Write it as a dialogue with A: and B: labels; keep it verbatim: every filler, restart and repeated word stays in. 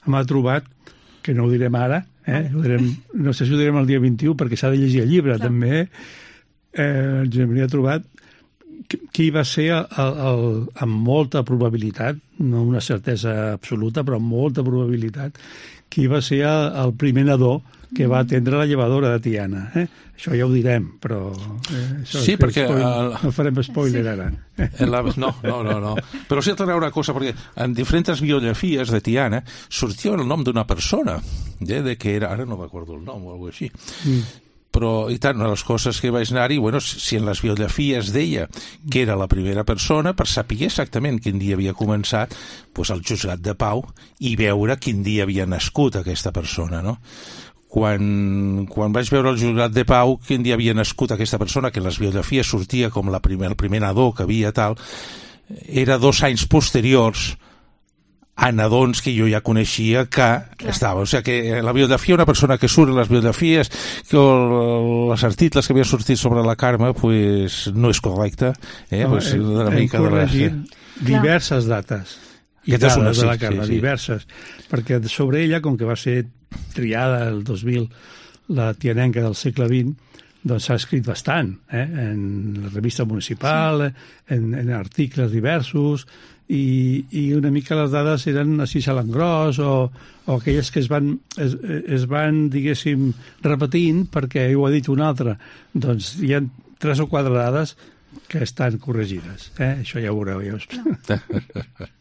A: m'ha trobat, que no ho direm ara, eh? ho direm, no sé si ho direm el dia vint-i-u, perquè s'ha de llegir el llibre, clar. També, eh, Josep Maria ha trobat qui va ser, el, el, amb molta probabilitat, no una certesa absoluta, però amb molta probabilitat, qui va ser el, el primer nadó que va atendre la llevadora de Tiana. Eh? Això ja ho direm, però... Eh, això
B: sí, perquè...
A: Spoiler,
B: el...
A: no farem spoiler sí. ara.
B: La... No, no, no, no. Però sí, t'anava una cosa, perquè en diferents biografies de Tiana sortia el nom d'una persona, eh, de que era... Ara no m'acordo el nom o alguna cosa així. Mm. Però, i tant, una de les coses que vaig anar-hi, bueno, si en les biografies deia que era la primera persona, per saber exactament quin dia havia començat, doncs el juzgat de pau i veure quin dia havia nascut aquesta persona, no? Quan, quan vaig veure el juzgat de pau quin dia havia nascut aquesta persona, que en les biografies sortia com la primer, el primer nadó que havia tal, era dos anys posteriors a nadons que jo ja coneixia que clar. Estava. O sigui que la biografia, una persona que surt en les biografies, que els articles que havia sortit sobre la Carme, pues, no és correcte. Eh?
A: No,
B: pues,
A: hem,
B: una
A: hem
B: mica
A: corregit
B: de la...
A: diverses dates.
B: I és una,
A: de la
B: sí,
A: Carme,
B: sí, sí.
A: diverses. Perquè sobre ella, com que va ser triada el dos mil, la tianenca del segle vint, doncs s'ha escrit bastant, eh? En la revista municipal, sí. en, en articles diversos, i, i una mica les dades eren així a l'engròs o, o aquelles que es van, es, es van, diguéssim, repetint perquè ho ha dit un altre. Doncs hi ha tres o quatre dades que estan corregides. Eh? Això ja ho veureu. Ja us... no.